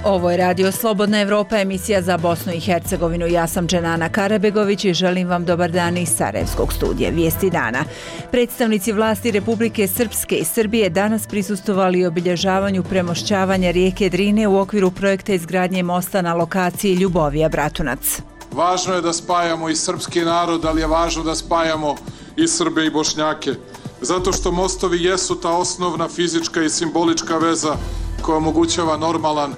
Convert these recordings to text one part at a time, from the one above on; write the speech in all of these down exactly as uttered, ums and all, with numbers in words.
Ovo je Radio Slobodna Evropa, emisija za Bosnu i Hercegovinu. Ja sam Dženana Karabegović i želim vam dobar dan iz Sarajevskog studija. Vijesti dana. Predstavnici vlasti Republike Srpske i Srbije danas prisustvovali obilježavanju premošćavanja rijeke Drine u okviru projekta izgradnje mosta na lokaciji Ljubovija-Bratunac. Važno je da spajamo i srpski narod, ali je važno da spajamo i Srbe i Bošnjake. Zato što mostovi jesu ta osnovna fizička i simbolička veza koja omogućava normalan,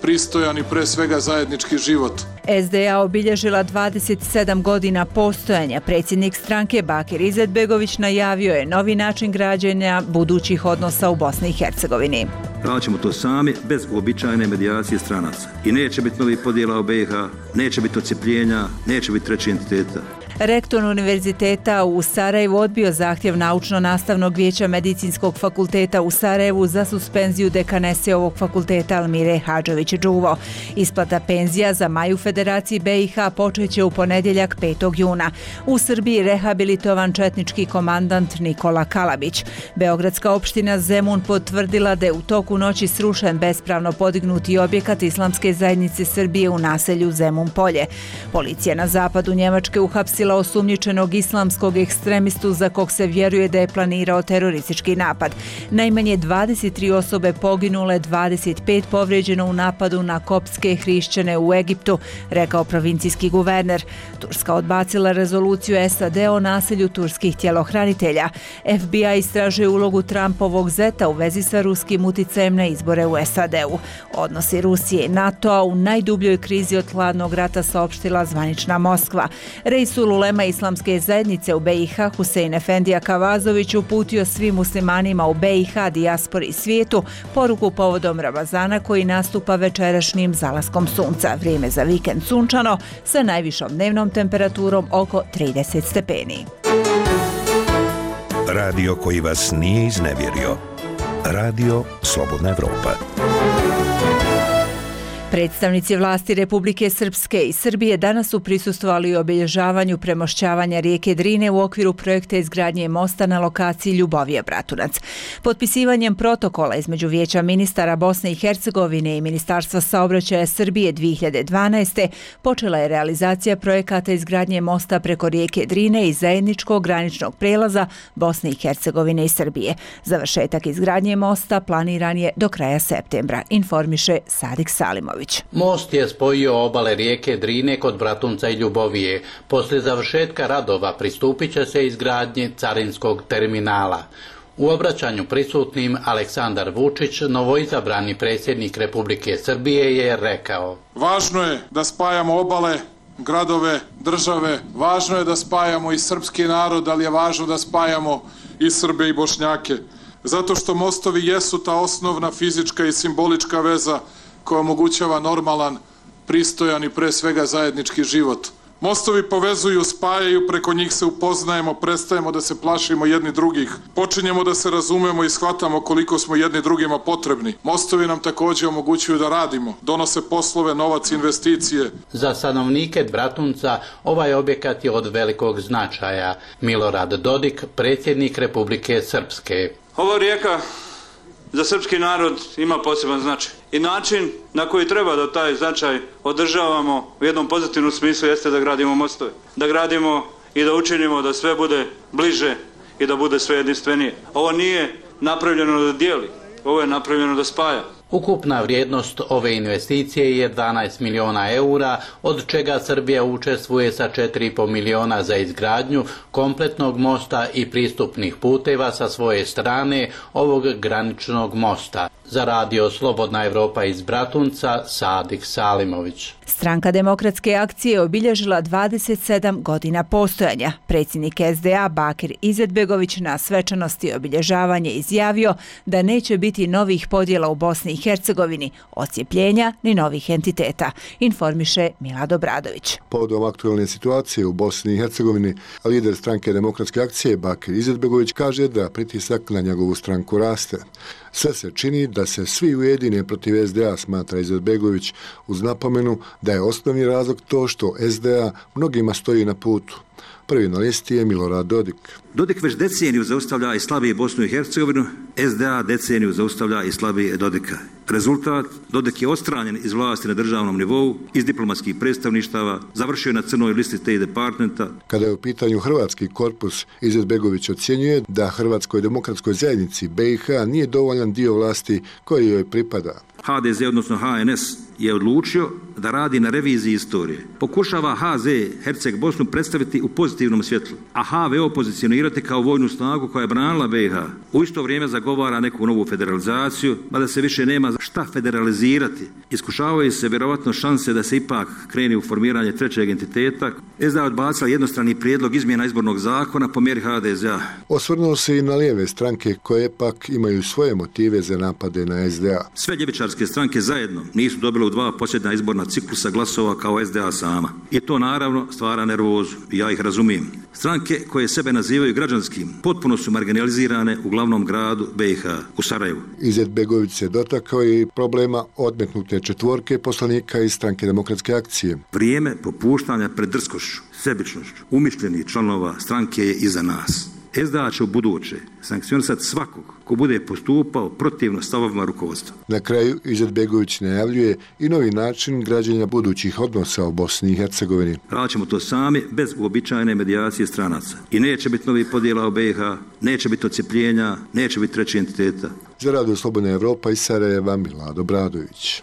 pristojan i pre svega zajednički život. S D A obilježila dvadeset sedam godina postojanja. Predsjednik stranke Bakir Izetbegović najavio je novi način građenja budućih odnosa u Bosni i Hercegovini. Radit to sami, bez uobičajene medijacije stranaca. I neće biti novih podjela u B i H, neće biti odcepljenja, neće biti treći entiteta. Rektor Univerziteta u Sarajevu odbio zahtjev Naučno-nastavnog vijeća Medicinskog fakulteta u Sarajevu za suspenziju dekanese ovog fakulteta Almire Hadžović-Đuvo. Isplata penzija za maj u Federaciji B i H počeće u ponedjeljak petog juna. U Srbiji rehabilitovan četnički komandant Nikola Kalabić. Beogradska opština Zemun potvrdila da je u toku noći srušen bespravno podignuti objekat Islamske zajednice Srbije u naselju Zemun Polje. Policija na zapadu Njemačke uhapsila osumnjičenog islamskog ekstremistu za kog se vjeruje da je planirao teroristički napad. Najmanje dvadeset tri osobe poginule, dvadeset pet povrijeđeno u napadu na koptske hrišćane u Egiptu, rekao provincijski guverner. Turska odbacila rezoluciju S A D o nasilju turskih tjelohranitelja. F B I istražuje ulogu Trumpovog zeta u vezi sa ruskim uticajem na izbore u S A D-u. Odnosi Rusije i NATO-a u najdubljoj krizi od hladnog rata, saopštila zvanična Moskva. Reisul ulema Islamske zajednice u B i H Husein Efendija Kavazović uputio svim muslimanima u B i H, dijaspori i svijetu poruku povodom Ramazana koji nastupa večerašnjim zalaskom sunca. Vrijeme za vikend sunčano sa najvišom dnevnom temperaturom oko trideset stepeni. Radio koji vas nije iznevjerio. Radio Slobodna Evropa. Predstavnici vlasti Republike Srpske i Srbije danas su prisustvovali obilježavanju premošćavanja rijeke Drine u okviru projekta izgradnje mosta na lokaciji Ljubovija-Bratunac. Potpisivanjem protokola između Vijeća ministara Bosne i Hercegovine i Ministarstva saobraćaja Srbije dvije hiljade dvanaeste. počela je realizacija projekata izgradnje mosta preko rijeke Drine i zajedničkog graničnog prelaza Bosne i Hercegovine i Srbije. Završetak izgradnje mosta planiran je do kraja septembra, informiše Sadik Salimović. Most je spojio obale rijeke Drine kod Bratunca i Ljubovije. Poslije završetka radova pristupit će se izgradnji carinskog terminala. U obraćanju prisutnim Aleksandar Vučić, novoizabrani predsjednik Republike Srbije, je rekao: Važno je da spajamo obale, gradove, države, važno je da spajamo i srpski narod, ali je važno da spajamo i Srbe i Bošnjake. Zato što mostovi jesu ta osnovna fizička i simbolička veza koja omogućava normalan, pristojan i pre svega zajednički život. Mostovi povezuju, spajaju, preko njih se upoznajemo, prestajemo da se plašimo jedni drugih, počinjemo da se razumemo i shvatamo koliko smo jedni drugima potrebni. Mostovi nam također omogućuju da radimo, donose poslove, novac, investicije. Za stanovnike Bratunca ovaj objekat je od velikog značaja. Milorad Dodik, predsjednik Republike Srpske. Ova rijeka za srpski narod ima poseban značaj. I način na koji treba da taj značaj održavamo u jednom pozitivnom smislu jeste da gradimo mostove. Da gradimo i da učinimo da sve bude bliže i da bude sve jedinstvenije. Ovo nije napravljeno da dijeli, ovo je napravljeno da spaja. Ukupna vrijednost ove investicije je dvanaest miliona eura, od čega Srbija učestvuje sa četiri i po miliona za izgradnju kompletnog mosta i pristupnih puteva sa svoje strane ovog graničnog mosta. Za Radio Slobodna Evropa iz Bratunca, Sadik Salimović. Stranka demokratske akcije obilježila dvadeset sedam godina postojanja. Predsjednik S D A Bakir Izetbegović na svečanosti obilježavanja izjavio da neće biti novih podjela u Bosni i Hercegovini, odcijepljenja ni novih entiteta, informiše Milad Obradović. Povodom aktualne situacije u Bosni i Hercegovini, lider stranke demokratske akcije Bakir Izetbegović kaže da pritisak na njegovu stranku raste. Sve se čini da se svi ujedine protiv S D A, smatra Izetbegović, uz napomenu da je osnovni razlog to što S D A mnogima stoji na putu. Prvi na listi je Milorad Dodik. Dodik već deceniju zaustavlja i slabije Bosnu i Hercegovinu, S D A deceniju zaustavlja i slabije Dodika. Rezultat, Dodik je odstranjen iz vlasti na državnom nivou, iz diplomatskih predstavništava, završio je na crnoj listi State Departmenta. Kada je u pitanju hrvatski korpus, Izetbegović ocjenjuje da Hrvatskoj demokratskoj zajednici B i H nije dovoljan dio vlasti koji joj pripada. H D Z, odnosno H N S, je odlučio da radi na reviziji istorije. Pokušava H Z Herceg Bosnu predstaviti u pozitivnom svjetlu, a H V O pozicionirati kao vojnu snagu koja je branila B i H. U isto vrijeme zagovara neku novu federalizaciju, mada se više nema šta federalizirati. Iskušavaju se vjerovatno šanse da se ipak krene u formiranje trećeg entiteta. S D A odbacila jednostrani prijedlog izmjena izbornog zakona po mjeri H D Z A. Osvrnuo se i na lijeve stranke koje pak imaju svoje motive za napade na S D A. Sve ljevičarske stranke zajedno nisu dobile u dva posljednja izborna ciklusa glasova kao S D A sama. I to naravno stvara nervozu. Ja ih razumijem. Stranke koje sebe nazivaju građanskim potpuno su marginalizirane u glavnom gradu B i H, u Sarajevu. Izetbegović se dotakao i problema odmetnute četvorke poslanika iz Stranke demokratske akcije. Vrijeme popuštanja pred drskošću, sebičnošću, umišljenih članova stranke je iza nas. S D A će u buduće sankcionisati svakog ko bude postupao protivno stavovima rukovodstva. Na kraju Izetbegović najavljuje i novi način građenja budućih odnosa u Bosni i Hercegovini. Radit ćemo to sami, bez uobičajene medijacije stranaca. I neće biti novih podjela u B i H, neće biti odcepljenja, neće biti treći entiteta. Za Radio Slobodna Evropa iz Sarajeva, Milad Obradović.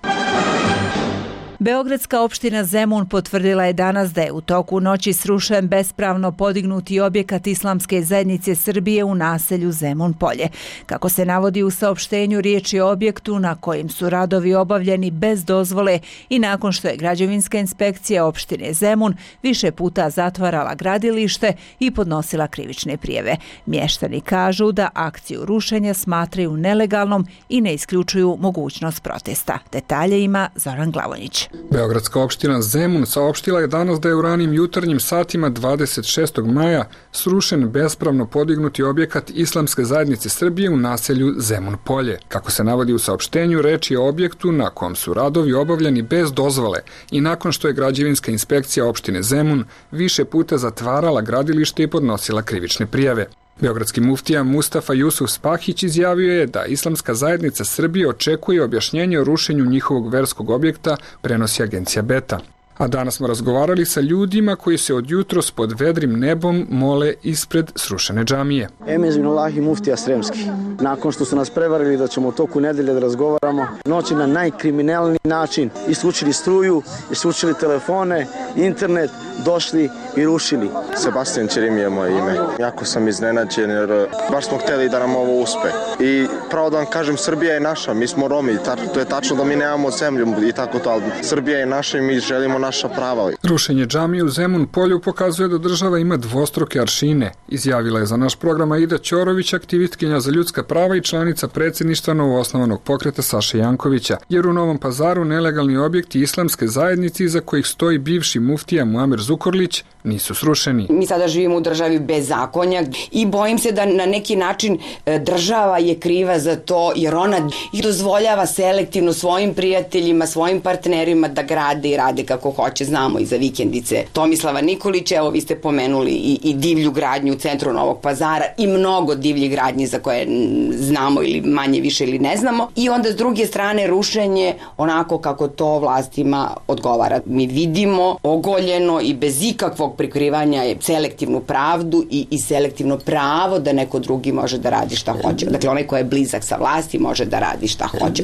Beogradska opština Zemun potvrdila je danas da je u toku noći srušen bespravno podignuti objekat Islamske zajednice Srbije u naselju Zemun Polje. Kako se navodi u saopštenju, riječ je o objektu na kojim su radovi obavljeni bez dozvole i nakon što je građevinska inspekcija opštine Zemun više puta zatvarala gradilište i podnosila krivične prijave. Mještani kažu da akciju rušenja smatraju nelegalnom i ne isključuju mogućnost protesta. Detalje ima Zoran Glavonjić. Beogradska opština Zemun saopštila je danas da je u ranim jutarnjim satima dvadeset šestog maja srušen bespravno podignuti objekat Islamske zajednice Srbije u naselju Zemun Polje. Kako se navodi u saopštenju, reč je o objektu na kom su radovi obavljeni bez dozvole i nakon što je građevinska inspekcija opštine Zemun više puta zatvarala gradilište i podnosila krivične prijave. Beogradski muftija Mustafa Jusuf Spahić izjavio je da Islamska zajednica Srbije očekuje objašnjenje o rušenju njihovog verskog objekta, prenosi agencija Beta. A danas smo razgovarali sa ljudima koji se od jutros pod vedrim nebom mole ispred srušene džamije. Emez bin Allahi muftija Sremski. Nakon što su nas prevarili da ćemo u toku nedelje da razgovaramo, noći na najkriminalniji način isključili struju, isključili telefone, internet, došli i rušili. Sebastian Čerim je moje ime. Jako sam iznenađen jer baš smo htjeli da nam ovo uspe. I pravo da vam kažem, Srbija je naša, mi smo Romi, to je tačno da mi nemamo zemlju i tako to, ali Srbija je naša i mi želimo naša prava. Rušenje džamije u Zemun Polju pokazuje da država ima dvostruke aršine, izjavila je za naš program Aida Ćorović, aktivistkinja za ljudska prava i članica predsjedništva novoosnovanog pokreta Saše Jankovića, jer u Novom Pazaru nelegalni objekti Islamske zajednice iza kojih stoji bivši muftija Muamer Zukorlić nisu srušeni. Mi sada živimo u državi bez zakonja i bojim se da na neki način država je kriva za to jer ona dozvoljava selektivno svojim prijateljima, svojim partnerima da grade i rade kako hoće. Znamo i za vikendice Tomislava Nikolića, evo vi ste pomenuli i, i divlju gradnju u centru Novog Pazara i mnogo divljih gradnji za koje znamo ili manje više ili ne znamo. I onda s druge strane rušenje onako kako to vlastima odgovara. Mi vidimo ogoljeno i bez ikakvog prikrivanja je selektivnu pravdu i, i selektivno pravo da neko drugi može da radi šta hoće. Dakle, onaj ko je blizak sa vlasti može da radi šta hoće.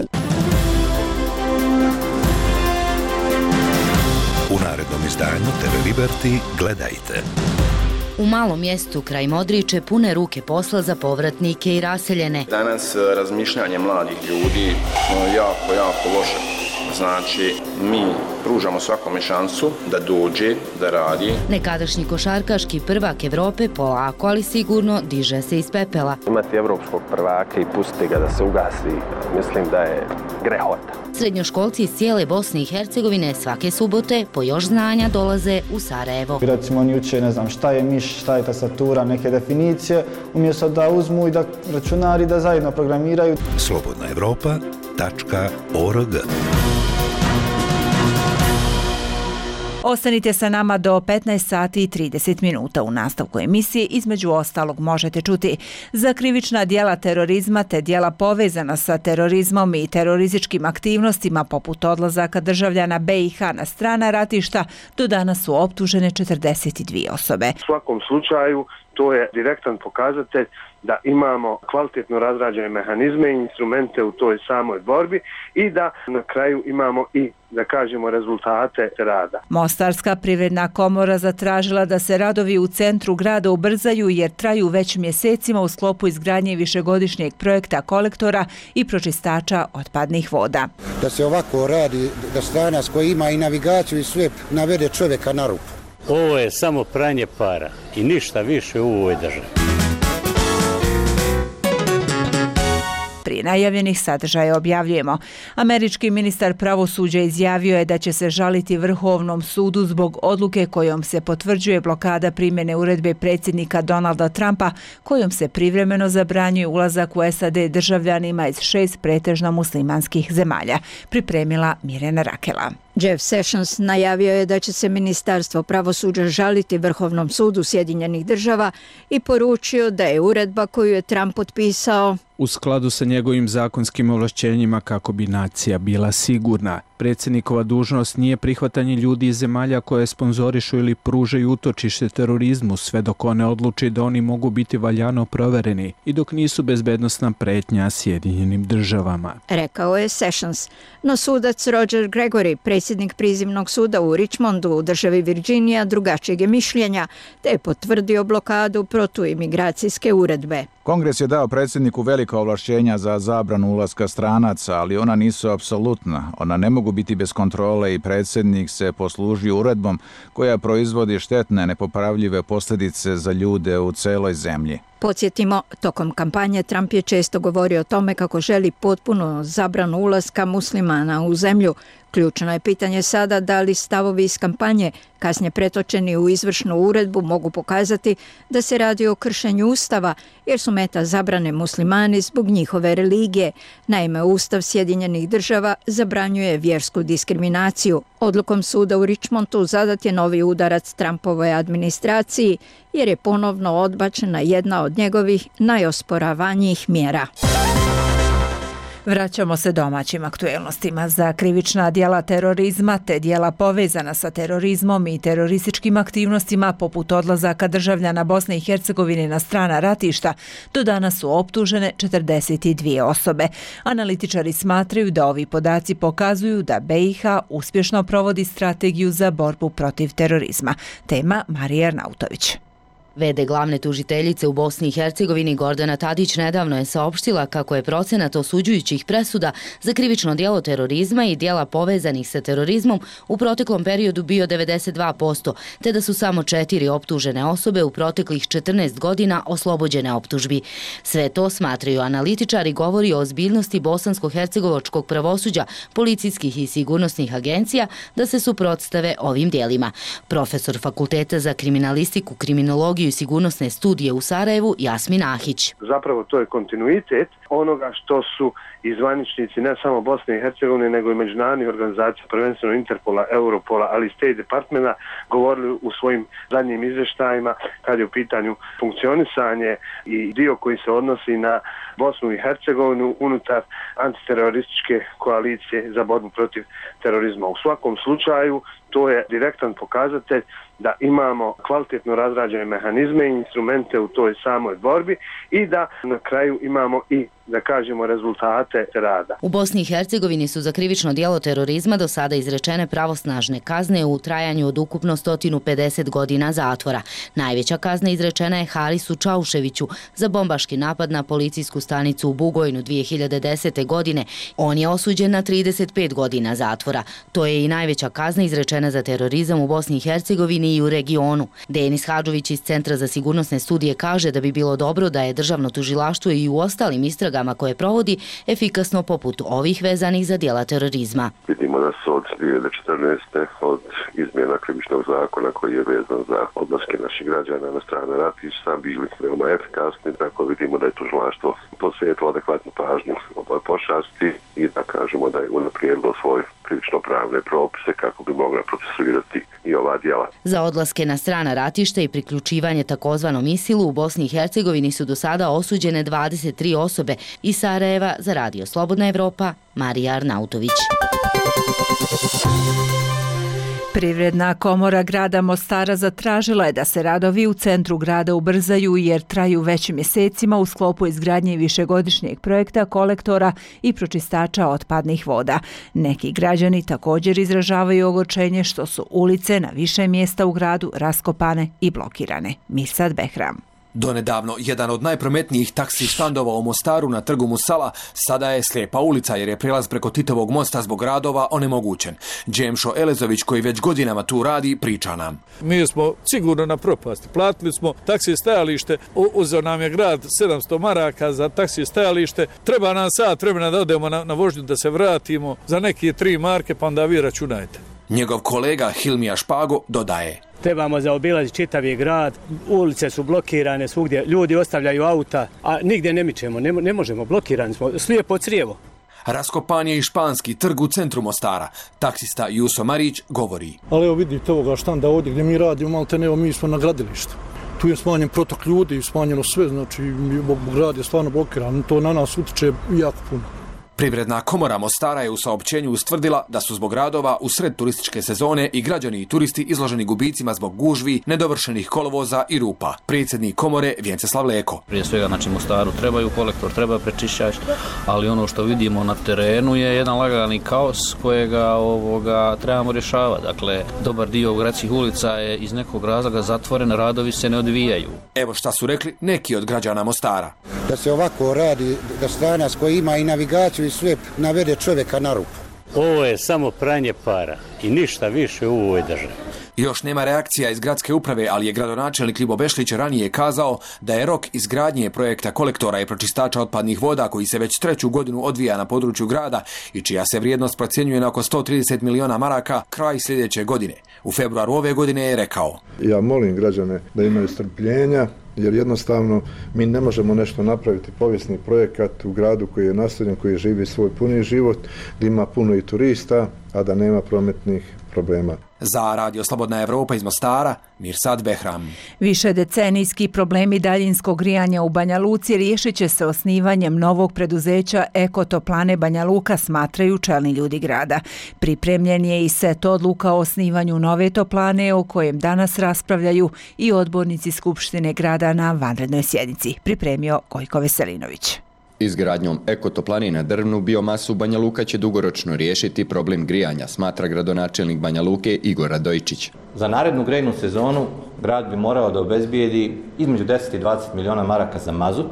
U narednom izdanju T V Liberty gledajte. U malom mjestu kraj Modriče pune ruke posla za povratnike i raseljene. Danas razmišljanje mladih ljudi jako, jako loše. Znači, mi pružamo svakome šansu da dođe, da radi. Nekadašnji košarkaški prvak Evrope polako, ali sigurno diže se iz pepela. Imati evropskog prvaka i pustiti ga da se ugasi, mislim da je grehota. Srednjoškolci iz cijele Bosne i Hercegovine svake subote po još znanja dolaze u Sarajevo. Recimo oni uče, ne znam, šta je miš, šta je tastatura, neke definicije, umjesto da uzmu i da računari da zajedno programiraju. slobodna evropa tačka org Ostanite sa nama do petnaest sati i trideset minuta. U nastavku emisije između ostalog možete čuti za krivična djela terorizma te djela povezana sa terorizmom i terorističkim aktivnostima poput odlazaka državljana B i H na strana ratišta. Do danas su optužene četrdeset dvije osobe. U svakom slučaju to je direktan pokazatelj da imamo kvalitetno razrađene mehanizme i instrumente u toj samoj borbi i da na kraju imamo i, da kažemo, rezultate rada. Mostarska privredna komora zatražila da se radovi u centru grada ubrzaju jer traju već mjesecima u sklopu izgradnje višegodišnjeg projekta kolektora i pročistača otpadnih voda. Da se ovako radi, da stranac koji ima i navigaciju i sve navede čovjeka na ruku. Ovo je samo pranje para i ništa više u ovoj državi. Prije najavljenih sadržaja objavljujemo. Američki ministar pravosuđa izjavio je da će se žaliti Vrhovnom sudu zbog odluke kojom se potvrđuje blokada primjene uredbe predsjednika Donalda Trumpa kojom se privremeno zabranjuje ulazak u S A D državljanima iz šest pretežno muslimanskih zemalja. Pripremila Mirjana Rakela. Jeff Sessions najavio je da će se Ministarstvo pravosuđa žaliti Vrhovnom sudu Sjedinjenih država i poručio da je uredba koju je Trump potpisao u skladu sa njegovim zakonskim ovlašćenjima kako bi nacija bila sigurna. Predsjednikova dužnost nije prihvatanje ljudi iz zemalja koje sponzorišu ili pružaju utočište terorizmu sve dok one odluči da oni mogu biti valjano provereni i dok nisu bezbednosna pretnja Sjedinjenim državama. Rekao je Sessions. No sudac Roger Gregory, predsjednik prizivnog suda u Richmondu u državi Virginija, drugačijeg je mišljenja te je potvrdio blokadu protuimigracijske uredbe. Kongres je dao predsjedniku velika ovlašćenja za zabranu ulaska stranaca, ali ona nisu apsolutna. Ona ne mogu biti bez kontrole i predsjednik se poslužio uredbom koja proizvodi štetne, nepopravljive posljedice za ljude u celoj zemlji. Podsjetimo, tokom kampanje Trump je često govorio o tome kako želi potpuno zabranu ulaska muslimana u zemlju. Ključno je pitanje sada da li stavovi iz kampanje, kasnije pretočeni u izvršnu uredbu, mogu pokazati da se radi o kršenju Ustava, jer su meta zabrane muslimani zbog njihove religije. Naime, Ustav Sjedinjenih država zabranjuje vjersku diskriminaciju. Odlukom suda u Richmondu zadat je novi udarac Trumpovoj administraciji, jer je ponovno odbačena jedna od njegovih najosporavanijih mjera. Vraćamo se domaćim aktuelnostima. Za krivična djela terorizma te djela povezana sa terorizmom i terorističkim aktivnostima poput odlazaka državljana Bosne i Hercegovine na strana ratišta do danas su optužene četrdeset dvije osobe. Analitičari smatraju da ovi podaci pokazuju da B i H uspješno provodi strategiju za borbu protiv terorizma. Tema Marija Arnautović. V D glavne tužiteljice u Bosni i Hercegovini Gordana Tadić nedavno je saopštila kako je procenat osuđujućih presuda za krivično djelo terorizma i djela povezanih sa terorizmom u proteklom periodu bio devedeset dva posto, te da su samo četiri optužene osobe u proteklih četrnaest godina oslobođene optužbi. Sve to, smatraju analitičari, govori o ozbiljnosti bosansko-hercegovačkog pravosuđa, policijskih i sigurnosnih agencija da se suprotstave ovim djelima. Profesor Fakulteta za kriminalistiku, kriminologiju i sigurnosne studije u Sarajevu Jasmin Ahić. Zapravo to je kontinuitet onoga što su i zvaničnici ne samo Bosne i Hercegovine nego i međunarodnih organizacija, prvenstveno Interpola, Europola, ali i State Departmenta govorili u svojim zadnjim izvještajima kad je u pitanju funkcionisanje i dio koji se odnosi na Bosnu i Hercegovinu unutar antiterorističke koalicije za borbu protiv terorizma. U svakom slučaju to je direktan pokazatelj da imamo kvalitetno razrađene mehanizme i instrumente u toj samoj borbi i da na kraju imamo i, da kažemo, rezultate rada. U Bosni i Hercegovini su za krivično djelo terorizma do sada izrečene pravosnažne kazne u trajanju od ukupno sto pedeset godina zatvora. Najveća kazna izrečena je Harisu Čauševiću za bombaški napad na policijsku stanicu u Bugojnu dvije hiljade desete. godine. On je osuđen na trideset pet godina zatvora. To je i najveća kazna izrečena za terorizam u Bosni i Hercegovini i u regionu. Denis Hadžović iz Centra za sigurnosne studije kaže da bi bilo dobro da je državno tužilaštvo i u ostalim istragama istragama koje provodi, efikasno poput ovih vezanih za djela terorizma. Vidimo da su od dvije hiljade četrnaeste. od izmjena krivičnog zakona koji je vezan za odlaske naših građana na strane ratišta bili veoma efikasni, tako vidimo da je tužilaštvo posvetilo adekvatnu pažnju ovoj pošasti i da kažemo da je unaprijedilo svoje krivično-pravne propise kako bi mogla procesuirati i ova djela. Za odlaske na strana ratišta i priključivanje takozvanom ISIL-u u Bosni i Hercegovini su do sada osuđene dvadeset tri osobe. Iz Sarajeva za Radio Slobodna Evropa, Marija Arnautović. Privredna komora grada Mostara zatražila je da se radovi u centru grada ubrzaju jer traju već mjesecima u sklopu izgradnje višegodišnjeg projekta kolektora i pročistača otpadnih voda. Neki građani također izražavaju ogorčenje što su ulice na više mjesta u gradu raskopane i blokirane. Mirsad Behram. Donedavno, jedan od najprometnijih taksi štandova u Mostaru na trgu Musala sada je slijepa ulica jer je prijelaz preko Titovog mosta zbog radova onemogućen. Džemšo Elezović, koji već godinama tu radi, priča nam. Mi smo sigurno na propasti. Platili smo taksi stajalište, uzeo nam je grad sedamsto maraka za taksi stajalište. Treba nam sat vremena da odemo na, na vožnju da se vratimo za neke tri marke, pa onda vi računajte. Njegov kolega Hilmija Špago dodaje. Trebamo zaobilaziti čitavi grad, ulice su blokirane svugdje, ljudi ostavljaju auta, a nigdje ne mičemo, ne, ne možemo, blokirani smo, slijepo crijevo. Raskopan je i španski trg u centru Mostara. Taksista Juso Marić govori. Ali evo vidite ovoga štanda ovdje gdje mi radimo, malo te ne, mi smo na gradilištu. Tu je smanjen protok ljudi, smanjeno sve, znači grad je stvarno blokiran, to na nas utiče jako puno. Privredna komora Mostara je u saopćenju ustvrdila da su zbog radova u sred turističke sezone i građani i turisti izloženi gubicima zbog gužvi, nedovršenih kolovoza i rupa. Predsjednik komore Vjenceslav Leko. Prije svega, znači, Mostaru trebaju kolektor, treba prečišćač, ali ono što vidimo na terenu je jedan lagani kaos kojega ovoga trebamo rješavati. Dakle, dobar dio gradskih ulica je iz nekog razloga zatvoren, radovi se ne odvijaju. Evo šta su rekli neki od građana Mostara. Da se ovako radi, da stranac koji ima i navigaciju i sve navede čovjeka na rupu. Ovo je samo pranje para i ništa više u ovoj državi. Još nema reakcija iz gradske uprave, ali je gradonačelnik Ljibo Bešlić ranije kazao da je rok izgradnje projekta kolektora i pročistača otpadnih voda koji se već treću godinu odvija na području grada i čija se vrijednost procjenjuje na oko sto trideset miliona maraka kraj sljedeće godine. U februaru ove godine je rekao. Ja molim građane da imaju strpljenja, jer jednostavno mi ne možemo nešto napraviti povijesni projekat u gradu koji je naseljen, koji živi svoj puni život, da ima puno i turista, a da nema prometnih problema. Za Radio Slobodna Evropa iz Mostara, Mirsad Behram. Više decenijski problemi daljinskog grijanja u Banja Luci riješit će se osnivanjem novog preduzeća Ekotoplane Banja Luka, smatraju čelni ljudi grada. Pripremljen je i set odluka o osnivanju nove toplane o kojem danas raspravljaju i odbornici Skupštine grada na vanrednoj sjednici. Pripremio Gojko Veselinović. Izgradnjom ekotoplane na drvnu biomasu Banja Luka će dugoročno riješiti problem grijanja, smatra gradonačelnik Banja Luke Igor Radojičić. Za narednu grejnu sezonu grad bi morao da obezbijedi između deset i dvadeset miliona maraka za mazut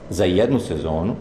za jednu sezonu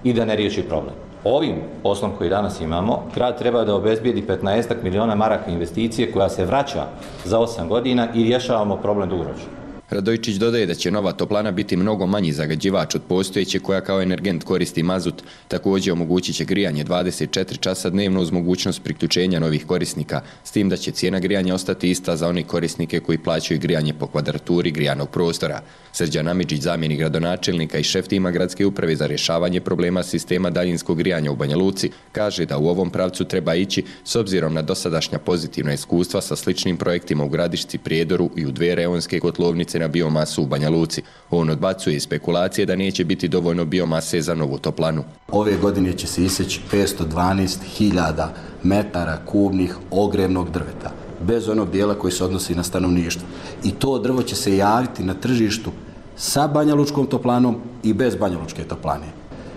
i da ne riješi problem. Ovim poslom koji danas imamo, grad treba da obezbijedi petnaest miliona maraka investicije koja se vraća za osam godina i rješavamo problem dugoročno. Radojičić dodaje da će nova toplana biti mnogo manji zagađivač od postojeće koja kao energent koristi mazut, također omogućit će grijanje dvadeset četiri časa dnevno uz mogućnost priključenja novih korisnika, s tim da će cijena grijanja ostati ista za one korisnike koji plaćaju grijanje po kvadraturi grijanog prostora. Srđan Amidžić, zamjenik gradonačelnika i šef tima gradske uprave za rješavanje problema sistema daljinskog grijanja u Banja Luci, kaže da u ovom pravcu treba ići s obzirom na dosadašnja pozitivna iskustva sa sličnim projektima u Gradišci, Prijedoru i u dve reonske kotlovnice na biomasu u Banja Luci. On odbacuje spekulacije da neće biti dovoljno biomase za novu toplanu. Ove godine će se iseći petsto dvanaest hiljada metara kubnih ogrevnog drveta, bez onog dijela koji se odnosi na stanovništvo. I to drvo će se javiti na tržištu sa Banja Lučkom toplanom i bez Banja Lučke toplane.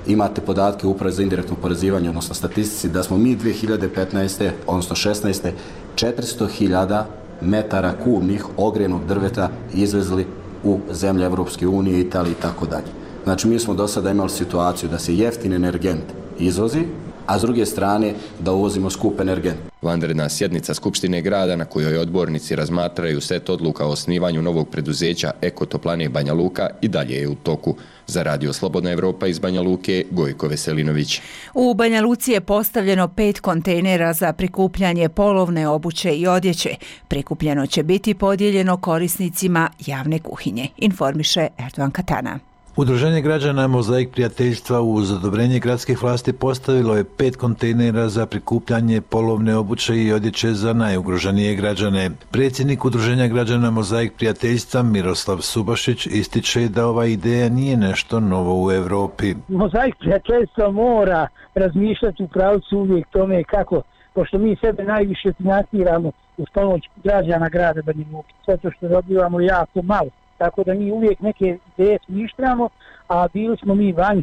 Imate podatke upravo za indirektno porezivanje, odnosno statistici, da smo mi dvije hiljade petnaeste. odnosno šesnaeste. četiristo hiljada metara kubnih ogrevnog drveta izvezli u zemlje Evropske unije, Italije i tako dalje. Znači, mi smo do sada imali situaciju da se jeftin energent izvozi, a s druge strane da uvozimo skup energent. Vanredna sjednica Skupštine grada na kojoj odbornici razmatraju set odluka o osnivanju novog preduzeća Ekotoplane Banja Luka i dalje je u toku. Za Radio Slobodna Evropa iz Banja Luke, Gojko Veselinović. U Banja Luci je postavljeno pet kontejnera za prikupljanje polovne obuće i odjeće. Prikupljeno će biti podijeljeno korisnicima javne kuhinje, informiše Erdogan Katana. Udruženje građana Mozaik prijateljstva uz odobrenje gradskih vlasti postavilo je pet kontejnera za prikupljanje polovne obuće i odjeće za najugroženije građane. Predsjednik Udruženja građana Mozaik prijateljstva Miroslav Subašić ističe da ova ideja nije nešto novo u Evropi. Mozaik prijateljstva mora razmišljati u pravcu uvijek tome kako, pošto mi sebe najviše financiramo uz pomoć građana grada Banja Luke, zato što dobivamo jako malo. Tako da mi uvijek neke ideje smišljamo, a bili smo mi vanj,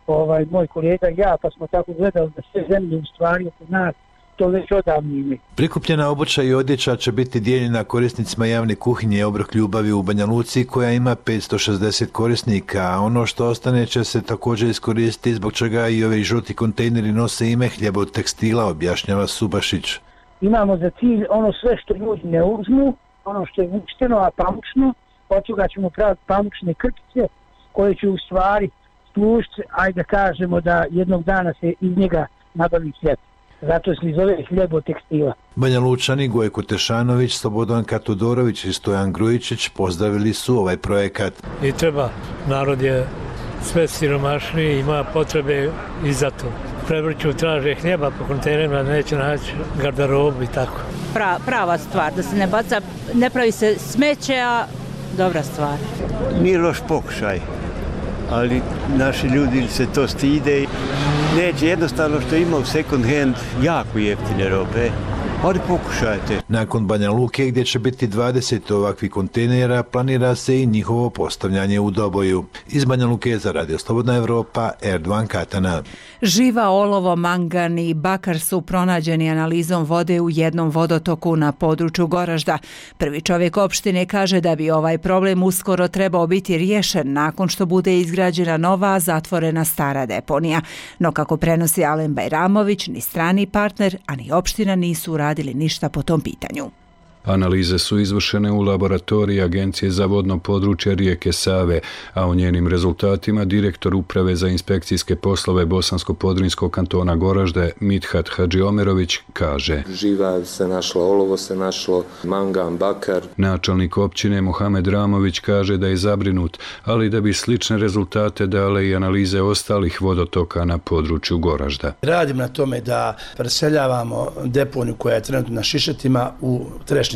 ovaj, moj kolega i ja, pa smo tako gledali da sve zemlje u stvari oko nas to već odavno imaju. Prikupljena obuća i odjeća će biti dijeljena korisnicima javne kuhinje Obrok ljubavi u Banja Luci koja ima petsto šezdeset korisnika, a ono što ostane će se također iskoristiti zbog čega i ovi žuti kontejneri nose ime hljeba od tekstila, objašnjava Subašić. Imamo za cilj ono sve što ljudi ne uzmu, ono što je vučteno, a pamučno, od toga ćemo praviti pamučne krpice koje će u stvari služiti, ajde da kažemo da jednog dana se iz njega nabavi hljeb. Zato se zove hljeb od tekstila. Banja Lučani Gojko Tešanović, Slobodanka Todorović i Stojan Grujičić pozdravili su ovaj projekat. I treba, narod je sve siromašniji, ima potrebe i za to. Prevrću traže hljeba po kontejnerima, neće naći garderobu i tako. Pra, prava stvar, da se ne baca, ne pravi se smeće, a dobra stvar. Nije loš pokušaj, ali naši ljudi se to stide. Neće jednostavno što ima u second hand jako jeftine robe, ali pokušajte. Nakon Banja Luke gdje će biti dvadeset ovakvih kontejnera, planira se i njihovo postavljanje u Doboju. Iz Banja Luke za Radio Slobodna Evropa, Erdogan Katana. Živa, olovo, mangan i bakar su pronađeni analizom vode u jednom vodotoku na području Goražda. Prvi čovjek opštine kaže da bi ovaj problem uskoro trebao biti riješen nakon što bude izgrađena nova zatvorena stara deponija. No kako prenosi Alen Bajramović, ni strani partner, a ni opština nisu uradili ništa po tom pitanju. Analize su izvršene u laboratoriji Agencije za vodno područje rijeke Save, a u njenim rezultatima direktor Uprave za inspekcijske poslove Bosansko-Podrinjskog kantona Goražde Mithat Hadžiomerović kaže: Živa se našlo, olovo se našlo, mangan, bakar. Načelnik općine Mohamed Ramović kaže da je zabrinut, ali da bi slične rezultate dale i analize ostalih vodotoka na području Goražda. Radim na tome da preseljavamo deponiju koja je trenutno na Šišetima u Trešnju.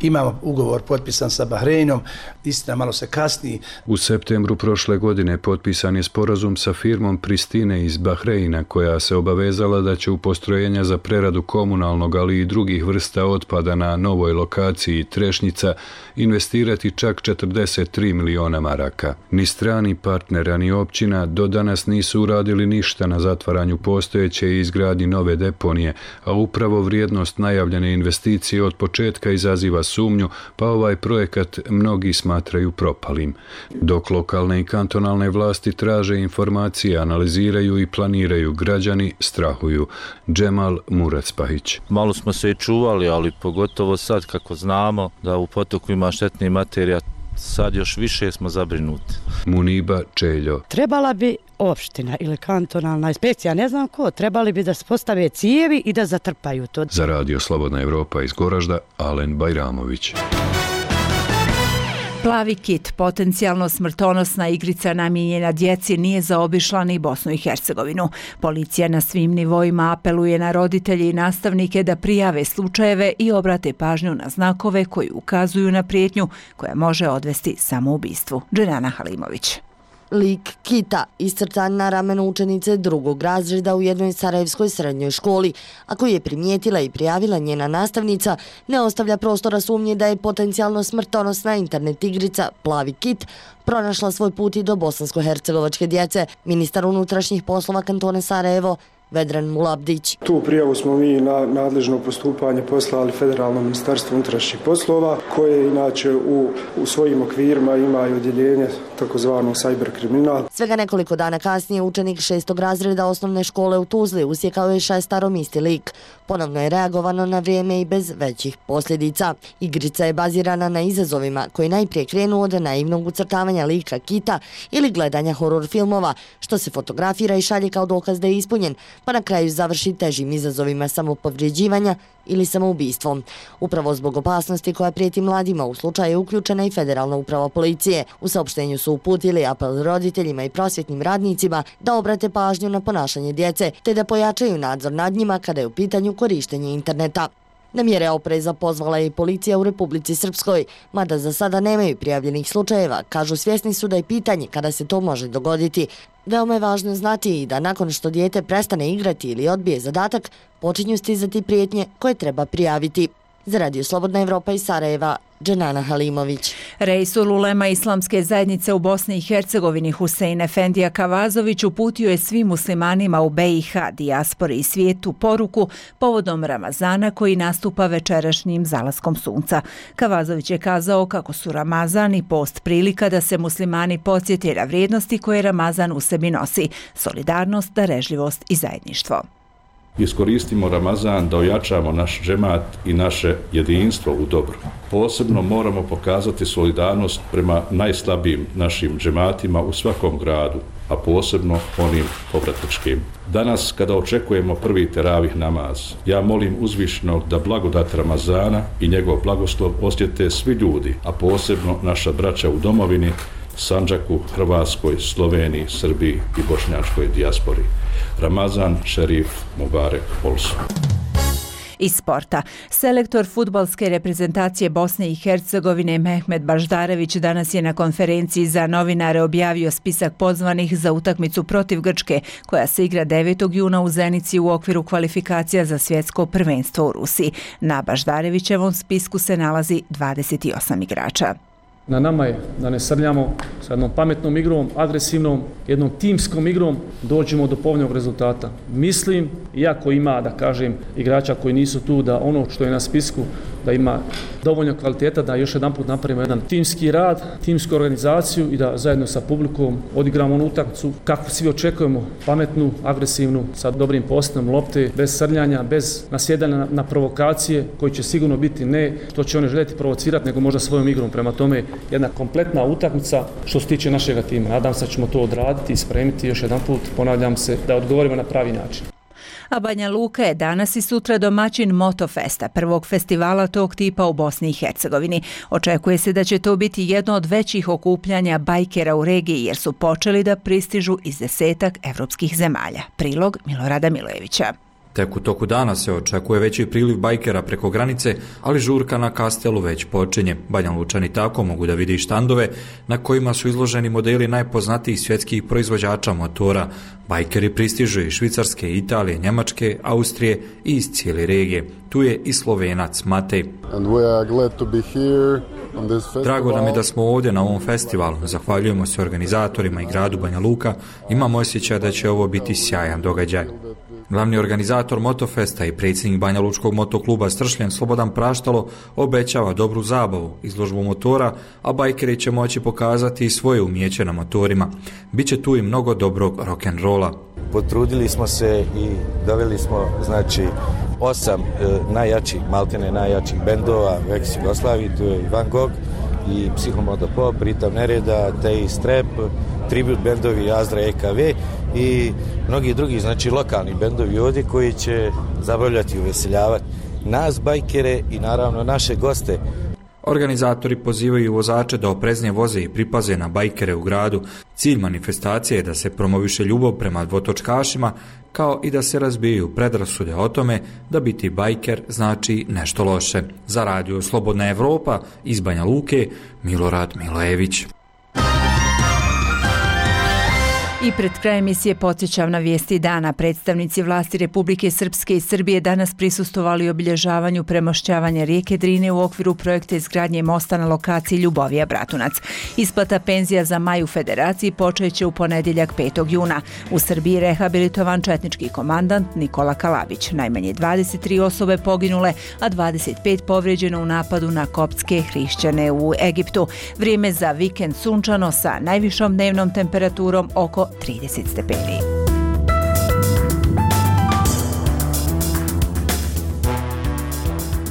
Imamo ugovor potpisan sa Bahreinom, istina malo se kasni. U septembru prošle godine potpisan je sporazum sa firmom Pristine iz Bahreina koja se obavezala da će u postrojenja za preradu komunalnog, ali i drugih vrsta otpada na novoj lokaciji Trešnjica investirati čak četrdeset tri miliona maraka. Ni strani partnera ni općina do danas nisu uradili ništa na zatvaranju postojeće i izgradnji nove deponije, a upravo vrijednost najavljene investicije od početka izaziva sumnju, pa ovaj projekat mnogi smatraju propalim. Dok lokalne i kantonalne vlasti traže informacije, analiziraju i planiraju, građani strahuju. Džemal Muracpahić. Malo smo se i čuvali, ali pogotovo sad kako znamo da u potoku ima štetnih materija, sad još više smo zabrinuti. Muniba Čeljo. Trebala bi opština ili kantonalna inspekcija, ne znam ko, trebali bi da se postave cijevi i da zatrpaju to. Za Radio Slobodna Evropa iz Goražda, Alen Bajramović. Plavi kit, potencijalno smrtonosna igrica namijenjena djeci, nije zaobišla ni Bosnu i Hercegovinu. Policija na svim nivoima apeluje na roditelje i nastavnike da prijave slučajeve i obrate pažnju na znakove koji ukazuju na prijetnju koja može odvesti samoubistvu. Dženana Halimović. Lik kita iscrtan na ramenu učenice drugog razreda u jednoj sarajevskoj srednjoj školi, a koji je primijetila i prijavila njena nastavnica, ne ostavlja prostora sumnje da je potencijalno smrtonosna internet igrica Plavi kit pronašla svoj put i do bosansko-hercegovačke djece. Ministar unutrašnjih poslova kantona Sarajevo Vedran Mulabdić. Tu prijavu smo mi na nadležno postupanje poslali Federalnom ministarstvu unutrašnjih poslova, koje inače u, u svojim okvirima ima i odjeljenje takozvano cyber kriminal. Svega nekoliko dana kasnije učenik šestog razreda osnovne škole u Tuzli usjekao je šestarom isti lik. Ponovno je reagovano na vrijeme i bez većih posljedica. Igrica je bazirana na izazovima koji najprije krenu od naivnog ucrtavanja lika kita ili gledanja horor filmova, što se fotografira i šalje kao dokaz da je ispunjen, pa na kraju završi težim izazovima samopovrijeđivanja ili samoubistvom. Upravo zbog opasnosti koja prijeti mladima u slučaju je uključena i Federalna uprava policije. U saopštenju su uputili apel roditeljima i prosvjetnim radnicima da obrate pažnju na ponašanje djece te da pojačaju nadzor nad njima kada je u pitanju korištenje interneta. Na mjere opreza pozvala je i policija u Republici Srpskoj, mada za sada nemaju prijavljenih slučajeva. Kažu, svjesni su da je pitanje kada se to može dogoditi. Veoma je važno znati i da nakon što dijete prestane igrati ili odbije zadatak, počinju stizati prijetnje koje treba prijaviti. Za Radio Slobodna Evropa iz Sarajeva, Dženana Halimović. Reisul ulema Islamske zajednice u Bosni i Hercegovini Husein Efendija Kavazović uputio je svim muslimanima u be i ha, dijaspori i svijetu poruku povodom Ramazana koji nastupa večerašnjim zalaskom sunca. Kavazović je kazao kako su Ramazan i post prilika da se muslimani podsjete na vrijednosti koje Ramazan u sebi nosi, solidarnost, darežljivost i zajedništvo. Iskoristimo Ramazan da ojačamo naš džemat i naše jedinstvo u dobru. Posebno moramo pokazati solidarnost prema najslabijim našim džematima u svakom gradu, a posebno onim povratničkim. Danas, kada očekujemo prvi teravih namaz, ja molim uzvišenog da blagodat Ramazana i njegov blagoslov osjete svi ljudi, a posebno naša braća u domovini, Sandžaku, Hrvatskoj, Sloveniji, Srbiji i bošnjačkoj dijaspori. Ramazan Šerif Mubarek Bolsu. Iz sporta. Selektor fudbalske reprezentacije Bosne i Hercegovine Mehmet Baždarević danas je na konferenciji za novinare objavio spisak pozvanih za utakmicu protiv Grčke, koja se igra devetog juna u Zenici u okviru kvalifikacija za svjetsko prvenstvo u Rusiji. Na Baždarevićevom spisku se nalazi dvadeset osam igrača. Na nama je da ne srljamo sa jednom pametnom igrom, agresivnom, jednom timskom igrom, dođemo do povoljnog rezultata. Mislim, iako ima, da kažem, igrača koji nisu tu, da ono što je na spisku, da ima dovoljno kvaliteta, da još jedan put napravimo jedan timski rad, timsku organizaciju i da zajedno sa publikom odigramo onu utakmicu kako svi očekujemo, pametnu, agresivnu, sa dobrim postavom lopte, bez srljanja, bez nasjedanja na, na provokacije, koji će sigurno biti ne što će one željeti provocirati, nego možda svojom igrom. Prema tome, jedna kompletna utakmica što se tiče našega tima. Nadam se da ćemo to odraditi i spremiti još jedan put, ponavljam se, da odgovorimo na pravi način. A Banja Luka je danas i sutra domaćin Motofesta, prvog festivala tog tipa u Bosni i Hercegovini. Očekuje se da će to biti jedno od većih okupljanja bajkera u regiji, jer su počeli da pristižu iz desetak evropskih zemalja. Prilog Milorada Milojevića. Tek u toku dana se očekuje veći priliv bajkera preko granice, ali žurka na Kastelu već počinje. Banja Lučani tako mogu da vidi štandove na kojima su izloženi modeli najpoznatijih svjetskih proizvođača motora. Bajkeri pristižu iz Švicarske, Italije, Njemačke, Austrije i iz cijele regije. Tu je i Slovenac Matej. Drago nam je da smo ovdje na ovom festivalu. Zahvaljujemo se organizatorima i gradu Banja Luka. Imamo osjećaj da će ovo biti sjajan događaj. Glavni organizator Motofesta i predsjednik Banja Lučkog motokluba Stršljen Slobodan Praštalo obećava dobru zabavu, izložbu motora, a bajkeri će moći pokazati i svoje umijeće na motorima. Biće tu i mnogo dobrog rock'n'rolla. Potrudili smo se i doveli smo znači osam e, najjačih, maltene najjačih bendova u ex-Jugoslaviji, tu je i Van Gogh i Psihomodo Pop, Ritam Nereda, Tej Strep, tribut bendovi Azdra E K V i mnogi drugi, znači lokalni bendovi ovdje koji će zabavljati i uveseljavati nas bajkere i naravno naše goste. Organizatori pozivaju vozače da opreznije voze i pripaze na bajkere u gradu. Cilj manifestacije je da se promoviše ljubav prema dvotočkašima, kao i da se razbijaju predrasude o tome da biti bajker znači nešto loše. Za Radio Slobodna Evropa iz Banja Luke, Milorad Milojević. I pred krajem emisije podsjećam na vijesti dana. Predstavnici vlasti Republike Srpske i Srbije danas prisustvovali obilježavanju premošćavanja rijeke Drine u okviru projekta izgradnje mosta na lokaciji Ljubovija-Bratunac. Isplata penzija za maj u Federaciji počeće u ponedjeljak petog juna. U Srbiji rehabilitovan četnički komandant Nikola Kalabić. Najmanje dvadeset tri osobe poginule, a dvadeset pet povrijeđeno u napadu na koptske hrišćane u Egiptu. Vrijeme za vikend sunčano sa najvišom dnevnom temperaturom oko trideset stepeni.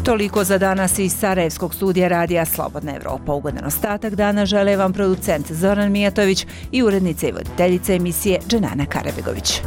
Toliko za danas iz Sarajevskog studija radija Slobodna Evropa. Ugodan ostatak dana žele vam producent Zoran Mijatović i urednica i voditeljica emisije Dženana Karabegović.